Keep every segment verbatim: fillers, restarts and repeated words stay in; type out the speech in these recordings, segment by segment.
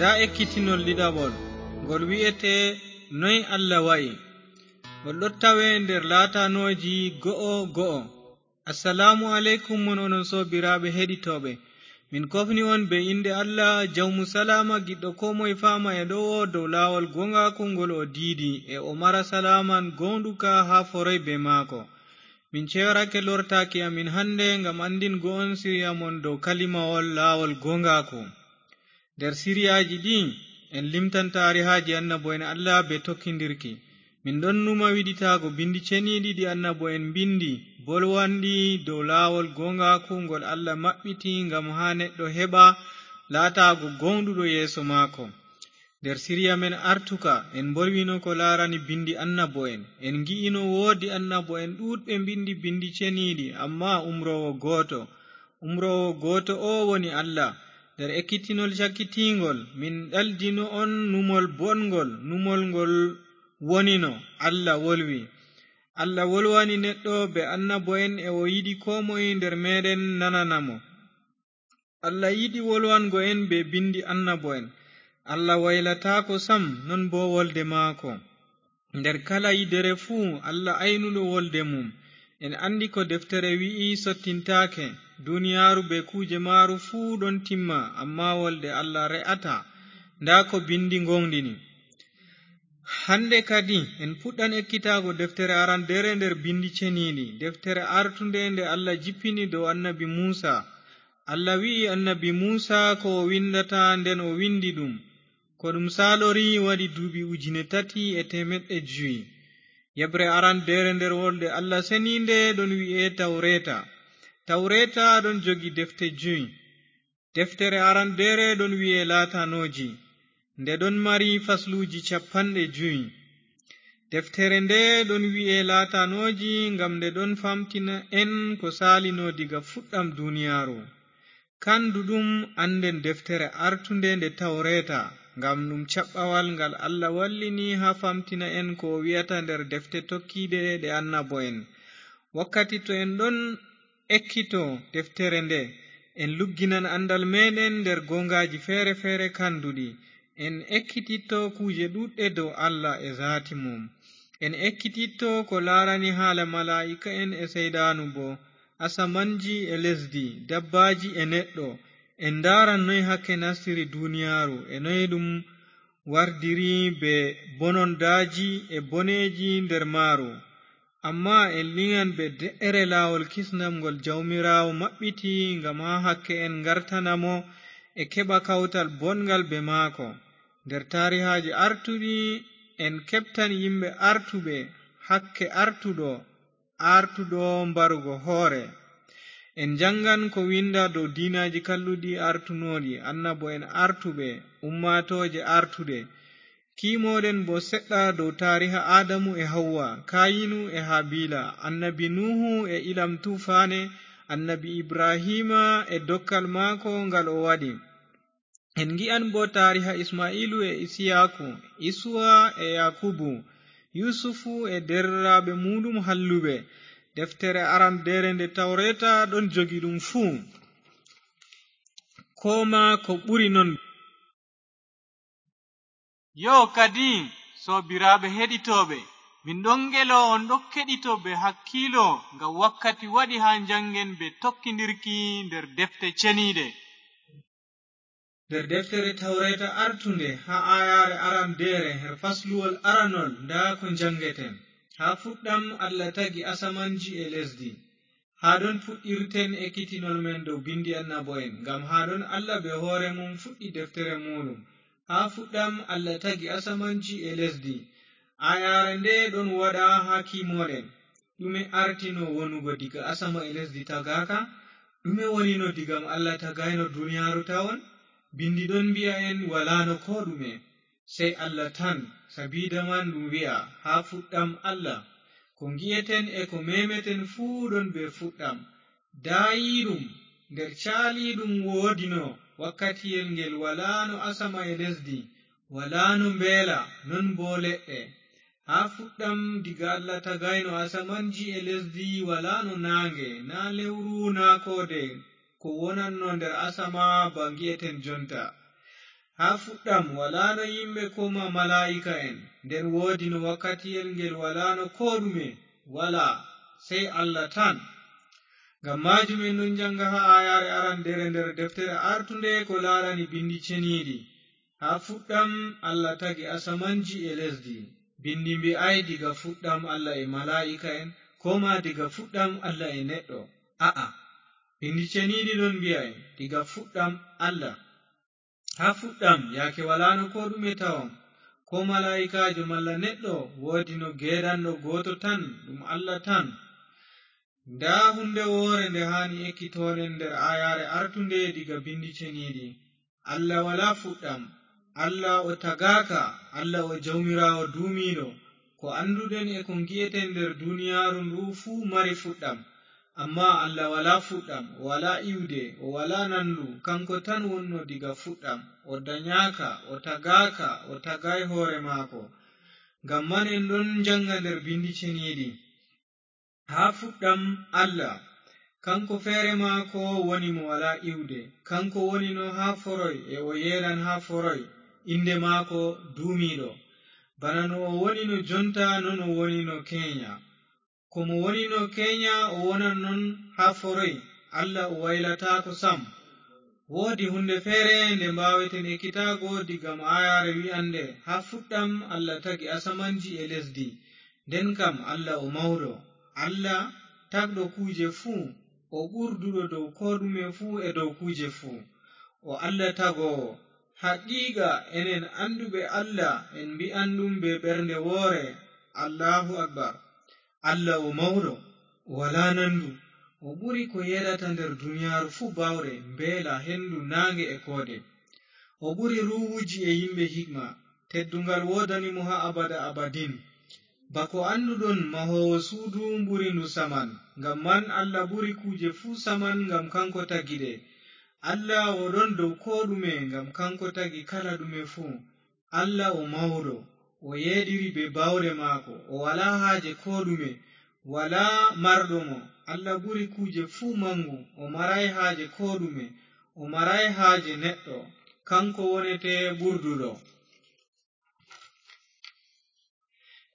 Ndaa ekkitinol ɗiɗaɓol, ngol wi'etee Noy Allah wa'i. Ngol ɗon tawee nder laatanooji go'o go'o. Assalaamu aleykum mon, onon soobiraaɓe heɗitooɓe. Min kofni on bee innde Allah, jawmu salaama, giɗɗo koo moye faama e ɗowo dow laawol gooŋgaaku ngol o diidi, e o mara salaaman gooŋɗuka haa foroy bee maako. Min ceyorake lortaaki amin hannde ngam anndingo on siriya mon dow kalimawol laawol gooŋgaaku. Nder siriyaaji ɗi, en limtan taarihaaji annabo'en Allah bee tokkindirki. Min ɗon numa wiɗitaago binndi ceniiɗi ɗi annabo'en mbinndi, bolwanɗi dow laawol gooŋgaaku ngol Allah maɓɓiti ngam haa neɗɗo heɓa laataago gooŋɗuɗo yeeso maako. Nder siriya men artuka, en mbolwino ko laarani binndi annabo'en. En ngi'ino woodi annabo'en ɗuuɗɓe mbinndi binndi ceniiɗi, ammaa umroowo gooto. Umroowo gooto oo woni Allah. Nder ekkitinol cakkitiingol, min ɗaldino on numol boɗngol, numol ngol wonino, Allah wolwi. Allah wolwani neɗɗo bee annabo'en e o yiɗi koo moye nder meeɗen nanana mo. Allah yiɗi wolwango en bee binndi annabo'en. Allah waylataako sam, non boo wolde maako. Nder kala yidere fuu, Allah aynuɗo wolde mum. En anndi ko deftere wi'i sottintaake, duniyaaru bee kuuje maaru fuu ɗon timma, ammaa wolde Allah re'ataa. Ndaa ko binndi ngooŋɗini. Hannde kadi, en puɗɗan ekkitaago deftere arandeere nder binndi ceniiɗi, deftere artunde nde Allah jippini dow annabi Muusa. Allah wi'i annabi Muusa ko o winndata, nden o winndi ɗum. Ko ɗum saalori waɗi duuɓi ujine tati e teemeɗɗe jowi. Yeɓre arandeere nder wolde Allah seniinde ɗon wi'e Tawreeta. Tawreeta ɗon jogi defte jowi. Deftere arandeere ɗon wi'e Laatanooji. Nde ɗon mari fasluuji cappanɗe jowi. Deftere nde ɗon wi'e Laatanooji ngam nde ɗon famtina en ko saalino diga fuɗɗam duniyaaru. Kanduɗum annden deftere artunde nde Tawreeta, ngam ɗum caɓɓawal ngal Allah wallini haa famtina en ko o wi'ata nder defte tokkiiɗe ɗe annabo'en. Wakkati to en ɗon ekkito deftere nde, en lugginan anndal meeɗen nder gooŋgaaji feere-feere kanduɗi. En ekkititto kuuje ɗuuɗɗe dow Allah e zaati mum. En ekkititto ko laarani haala malaa'ika'en e seyɗaanu boo, asamanji e lesdi, dabbaaji e neɗɗo. En ndaaran noy hakke nastiri duniyaaru e noy ɗum wardiri bee bonondaaji e boneeji nder maaru. Ammaa en liŋan bee de'ere laawol kisnam ngol Jawmiraawo maɓɓiti ngam haa hakke en ngartana mo e keɓa kawtal boɗngal bee maako. Nder taarihaaji artuɗi, en keɓtan yimɓe artuɓe, hakke artuɗo, artuɗo mbarugo hoore. En njanngan ko winnda dow diinaaji kalluɗi artunooɗi, annabo'en artuɓe, ummaatooje artuɗe. Kiimoɗen boo seɗɗa dow taariha Aadamu e Hawwa, Kaayinu e Habiila, annabi Nuuhu e ilam tuufaane, annabi Ibrahiima e dokkal maako ngal o waɗi. En ngi'an boo taariha Isma'iilu e Isiyaaku, Isuwa e Yaakubu, Yusufu e deerɗiraaɓe muuɗum halluɓe. Deftere arandeere nde Tawreeta ɗon jogi ɗum fuu, koo maa ko ɓuri non. Yoo, kadi, soobiraaɓe heɗitooɓe, min ɗon ngelo on ɗon keɗito bee hakkiilo, ngam wakkati waɗi haa njanngen bee tokkindirki nder defte ceniiɗe. Nder deftere Tawreeta artunde, haa aayaare arandeere, her fasluwol aranol, ndaa ko njanngeten. Haa fuɗɗam Allah tagi asamanji e lesdi. Haa ɗon fuɗɗirten ekkitinol men dow binndi annabo'en, ngam haa ɗon Allah bee hoore mum fuɗɗi deftere muuɗum. Haa fuɗɗam Allah tagi asamanji e lesdi. Aayaare nde ɗon waɗa haa kiimoɗen. Ɗume artino wonugo diga asama e lesdi tagaaka? Ɗume wonino diga Allah tagayno duniyaaru tawon? Binndi ɗon mbi'a en walaano koo ɗume, sey Allah tan. Sabiida man ɗum wi'a, haa fuɗɗam Allah. Ko ngi'eten e ko meemeten fuu ɗon bee fuɗɗam. Daayiiɗum, nder caaliiɗum woodino wakkatiyel ngel walaano asama e lesdi, walaano mbeela, non boo leɗɗe. Haa fuɗɗam, diga Allah tagayno asamanji e lesdi, walaano naaŋge, naa lewru, naa koode ko wonanno nder asama ba ngi'eten jonta. Haa fuɗɗam walaano yimɓe koo maa malaa'ika'en, nden woodino wakkatiyel ngel walaano koo ɗume, walaa, sey Allah tan. Ngam maajum en ɗon njannga haa aayaare arandere nder deftere artunde ko laarani Binndi Ceniiɗi. Haa fuɗɗam Allah tagi asamanji e lesdi. Binndi mbi'aay diga fuɗɗam Allah e malaa'ika'en, koo maa diga fuɗɗam Allah e neɗɗo. A'a, Binndi Ceniiɗi ɗon mbi'a en diga fuɗɗam Allah. Haa fuɗɗam, yaake walaano koo ɗume tawon, koo malaa'ikaajo malla neɗɗo, woodino geedanɗo gooto tan, ɗum Allah tan. Ndaa huunde woore nde haani ekkitooɗen nder aayaare artunde diga Binndi Ceniiɗi. Allah walaa fuɗɗam. Allah o tagaaka, Allah o Jawmiraawo duumiiɗo. Ko annduɗen e ko ngi'eten nder duniyaaru ndu fuu mari fuɗɗam. Ammaa Allah walaa fuɗɗam, o walaa iwde, o walaa nandu, kanko tan wonno diga fuɗɗam. O danyaaka, o tagaaka, o tagaay hoore maako. Ngam man en ɗon njannga nder Binndi Ceniiɗi. Haa fuɗɗam Allah, kanko feere maako woni mo walaa iwde. Kanko wonino haa foroy e o yeeɗan haa foroy. Innde maako duumiiɗo. Bana no o wonino jonta, non o wonino keenya. Ko mo wonino keenya, o wonan non haa foroy. Allah o waylataako sam. Woodi huunde feere nde mbaaweten ekkitaago diga aayaare wi'annde, haa fuɗɗam Allah tagi asamanji e lesdi. Nden kam Allah o mawɗo. Allah tagɗo kuuje fuu, o ɓurduɗo dow koo ɗume fuu e dow kuuje fuu. O Allah tagoowo. Haqiiqa enen annduɓe Allah en mbi'an ɗum bee ɓernde woore, Allahu Akbar. Allah o mawɗo, o walaa nandu. O ɓuri ko yeeɗata nder duniyaaru fuu baawɗe, mbeela, hendu, naange e koode. O ɓuri ruuhuuji e yimɓe hikma. Teddungal woodani mo haa abada abadin. Bako annduɗon, mahoowo suudu ɓuri ndu saman. Ngam man Allah ɓuri kuuje fuu saman, ngam kanko tagi ɗe. Allah o ɗon dow koo ɗume, ngam kanko tagi kala ɗume fuu. Allah o mawɗo, o yeeɗiri bee baawɗe maako, o walaa haaje koo ɗume, walaa marɗo mo. Allah ɓuri kuuje fuu maŋgu, o maraay haaje koo ɗume, o maraay haaje neɗɗo. Kanko wonete ɓurduɗo.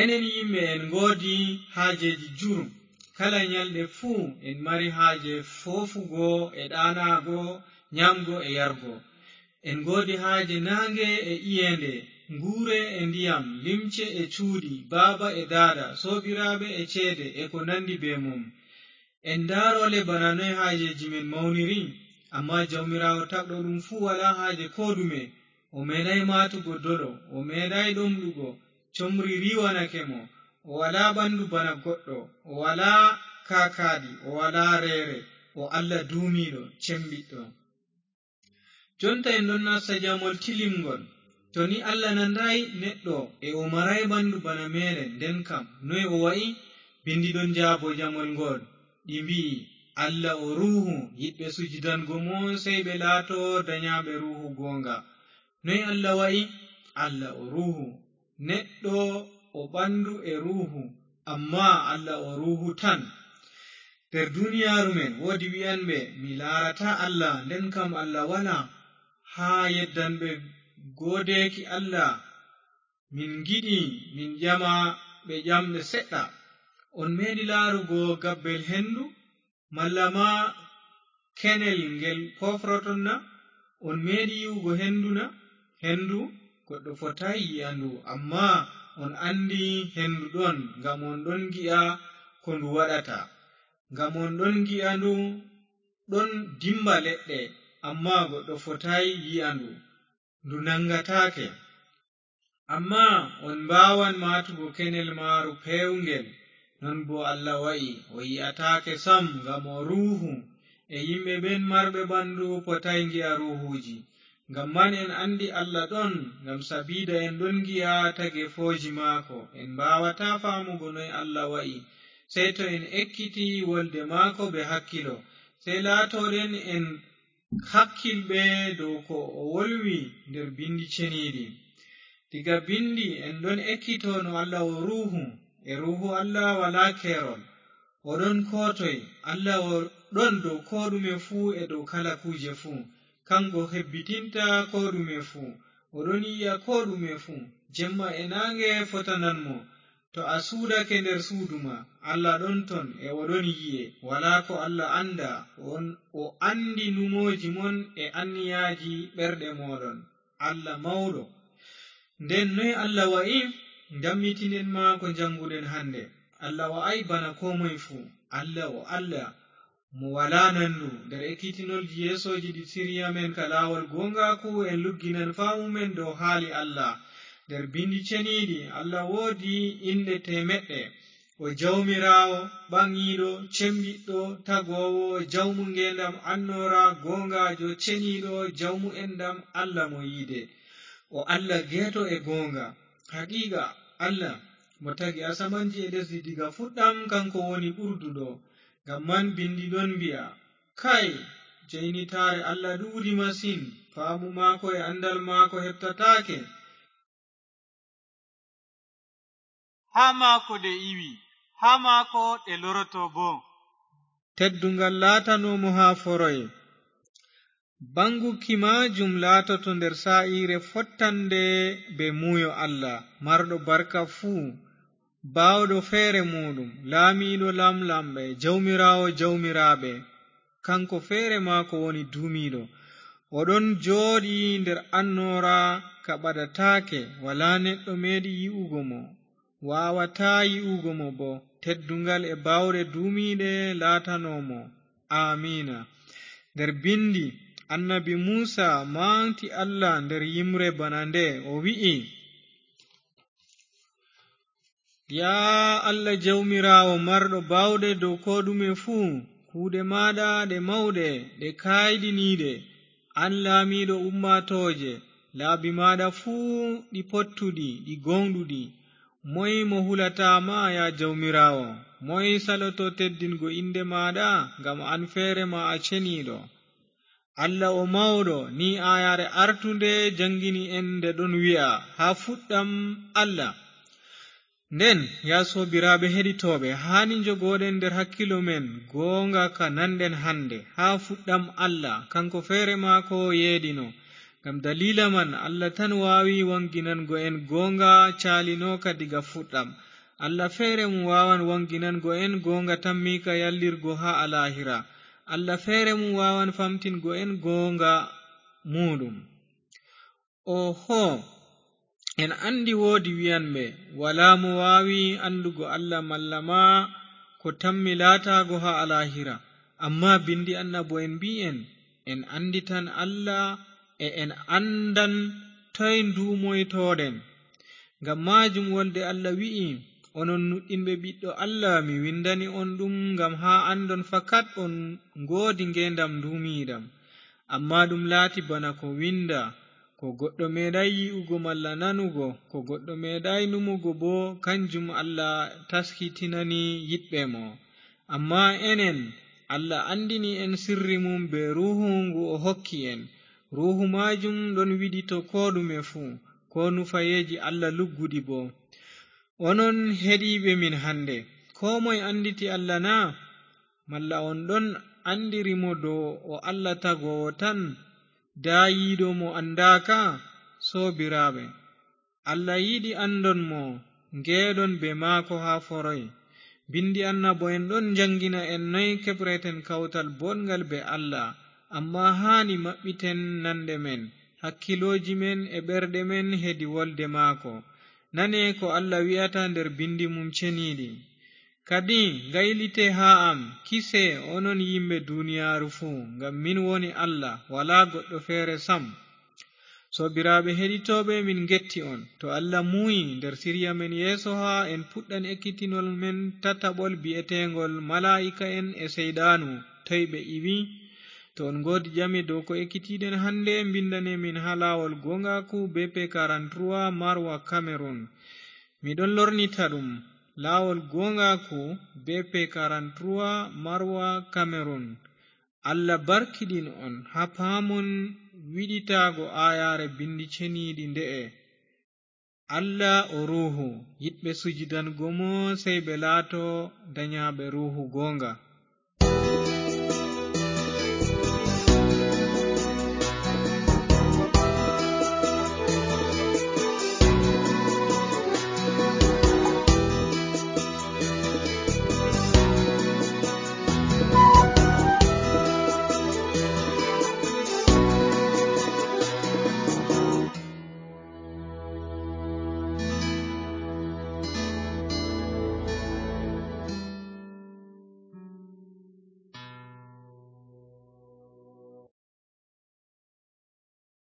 Enen yimɓe en ngoodi haajeeji jurum. Kala nyalɗe fuu en mari haaje foofugo e ɗaanaago, nyaamgo e yargo. En ngoodi haaje naange e iyeende, nguure e ndiyam, limce e cuuɗi, baaba e daada, soobiraaɓe e ceede e ko nanndi bee mum. En ndaarole bana noy haajeeji men mawniri, ammaa Jawmiraawo tagɗo ɗum fuu walaa haaje koo ɗume. O meeɗaay maatugo dolo, o meeɗaay ɗomɗugo, comri riiwanake mo. O walaa ɓanndu bana goɗɗo, o walaa kaakaaɗi, o walaa reere, o Allah duumiiɗo, cembiɗɗo. Jonta en ɗon nasta jamol tilimngol. To ni Allah nandaay neɗɗo e o maraay ɓanndu bana meeɗen, nden kam, noy o wa'i? Binndi ɗon jaabo jamol ngol. Ɗi mbi'i, Allah o ruuhu, yiɗɓe sujidango mo sey ɓe laato danyaaɓe ruuhu gooŋga. Noy Allah wa'i? Allah o ruuhu. Neɗɗo o ɓanndu e ruuhu, ammaa Allah o ruuhu tan. Nder duniyaaru men woodi wi'anɓe, "Mi laarataa Allah," nden kam Allah walaa. Haa yeddanɓe goodeeki Allah, "Min ngiɗi min ƴama ɓe ƴamɗe seɗɗa. On meeɗi laarugo gabbel hendu, malla ma kenel ngel pofroton na? On meeɗi yi'ugo hendu na? Hendu, goɗɗo fotaay yi'a ndu, ammaa on anndi hendu ɗon, ngam on ɗon ngi'a ko ndu waɗata. Ngam on ɗon ngi'a ndu ɗon dimba leɗɗe, ammaa goɗɗo fotaay yi'a ndu, ndu naŋgataake. Ammaa on mbaawan maatugo kenel maaru peewngel, non boo Allah wa'i, o yi'ataake sam, ngam o ruuhu, e yimɓe ɓen marɓe ɓanndu potaay ngi'a ruuhuuji. Ngam man en anndi Allah ɗon, ngam sabiida en ɗon ngi'a tageefooji maako. En mbaawataa faamugo noy Allah wa'i, sey to en ekkiti wolde maako bee hakkilo. Sey laatooɗen en hakkilɓe dow ko o wolwi nder Binndi Ceniiɗi. Diga Binndi en ɗon ekkito no Allah o ruuhu, e ruuhu Allah walaa keerol. O ɗon koo toy, Allah o ɗon dow koo ɗume fuu e dow kala kuuje fuu. Kaŋko hebbitinta koo ɗume fuu. O ɗon yi'a koo ɗume fuu. Jemma e naange fotanan mo. To a suudake nder suudu ma, Allah ɗon ton e o ɗon yi'e. Walaa ko Allah anndaa. O, o anndi numooji mon e anniyaaji ɓerɗe mooɗon. Allah mawɗo. Nden noy Allah wa'i? Ndammitinen ma ko njannguɗen hannde. Allah wa'ay bana koo moy fuu. Allah o Allah. Mo walaa nandu. Nder ekkitinolji yeesooji ɗi sirya men ka laawol gooŋgaaku, en lugginan faamu men dow haali Allah. Nder binndi ceniiɗi, Allah woodi inɗe teemeɗɗe. O Jawmiraawo, ɓaŋiiɗo, cembiɗɗo, tagoowo, jawmu ngeendam annoora, gooŋgaajo, ceniiɗo, jawmu enɗam, Allah mo yiide. O Allah geeto e gooŋga. Haqiiqa, Allah mo tagi asamanji e lesdi diga fuɗɗam, kaŋko woni ɓurduɗo. Ngam man binndi ɗon mbi'a, kay, jaynitaare Allah ɗuuɗi masin, faamu maako e anndal maako heɓtataake. Haa maako ɗe iwi, haa maako ɗe loroto boo. Tedduŋgal laatanoo mo haa foroy. Baŋguki maajum laatoto nder saa'iire fottande bee muuyo Allah, marɗo barka fuu, baawɗo feere muuɗum, laamiiɗo laamlamɓe, jawmiraawo jawmiraaɓe. Kaŋko feere maako woni duumiiɗo. O ɗon jooɗi nder annoora ka ɓadataake, walaa neɗɗo meeɗi yi'ugo mo, waawataa yi'ugo mo boo. Tedduŋgal e baawɗe duumiiɗe laatanoo mo. Aamiina. Nder binndi, annabi Muusa maŋgti Allah nder yimre bana nde, o wi'i, yaa Allah Jawmiraawo marɗo baawɗe dow koo ɗume fuu, kuuɗe maaɗa ɗe mawɗe, ɗe kaayɗiniiɗe. An laamiiɗo ummaatooje, laabi maaɗa fuu ɗi pottuɗi, ɗi gooŋɗuɗi. Moy mo hulataa ma, yaa Jawmiraawo? Moy saloto teddingo innde maaɗa? Ngam an feere ma a ceniiɗo. Allah o mawɗo, ni aayaare artunde jaŋgini en nde ɗon wi'a, haa fuɗɗam Allah. Nden, yaa soobiraaɓe heɗitooɓe, haani njogooɗen nder hakkiilo men gooŋga ka nanɗen hannde, haa fuɗɗam Allah, kaŋko feere maako yeeɗino. Ngam daliila man, Allah tan waawi waŋginango en gooŋga caalinooka diga fuɗɗam. Allah feere mum waawan waŋginango en gooŋga tammiika yallirgo haa alaahira. Allah feere mum waawan famtingo en gooŋga muuɗum. Oho, en anndi woodi wi'anɓe, walaa mo waawi anndugo Allah malla ma ko tammi laataago haa alaahira. Ammaa binndi annabo'en mbi'i en, en annditan Allah e en anndan toy nduumoytooɗen. Ngam maajum wolde Allah wi'i, onon nuɗɗinɓe Ɓiɗɗo Allah, mi winndani on ɗum ngam haa anndon fakat on ngoodi ngeendam nduumiiɗam. Ammaa ɗum laati bana ko winnda, ko goɗɗo meeɗaay yi'ugo malla nanugo, ko goɗɗo meeɗaay numugo boo, kanjum Allah taskitinani yiɗɓe mo. Ammaa enen, Allah anndini en sirri mum bee Ruuhu ngu o hokki en. Ruuhu maajum ɗon wiɗito koo ɗume fuu, koo nufayeeji Allah lugguɗi boo. Onon heɗiiɓe min hannde, koo moy annditi Allah na? Malla on ɗon anndiri mo dow o Allah tagoowo tan, daayiiɗo mo anndaaka? Soobiraaɓe, Allah yiɗi anndon mo, ngeeɗon bee maako haa foroy. Binndi annabo'en ɗon njaŋngina en noy keɓreten kawtal booɗŋgal bee Allah, ammaa haani maɓɓiten nanɗe men, hakkiilooji men e ɓerɗe men hedi wolde maako. Nane ko Allah wi'ata nder binndi mum ceniiɗi. Kadi, ngaylite haa am, kise, onon yimɓe duniyaaru fuu, ngam min woni Allah, walaa goɗɗo feere sam. Soobiraaɓe heɗitooɓe, min ngetti on. To Allah muuyi, nder sirya men yeeso haa en puɗɗan ekkitinol men tataɓol bi'eteeŋol Malaa'ika'en e Seyɗaanu, toy ɓe iwi? To on ngoodi ƴame dow ko ekkitiɗen hannde, mbinndane min haa laawol gooŋgaaku B P quarante-trois, Marwa, Cameroon. Mi ɗon lornita ɗum, laawol gooŋgaaku, B P quarante-trois, Marwa, Cameroon. Allah barkiɗin on haa paamon wiɗitaago aayaare binndi ceniiɗi nde'e. Allah o Ruuhu, yiɗɓe sujidango mo, sey ɓe laato danyaaɓe Ruuhu gooŋga.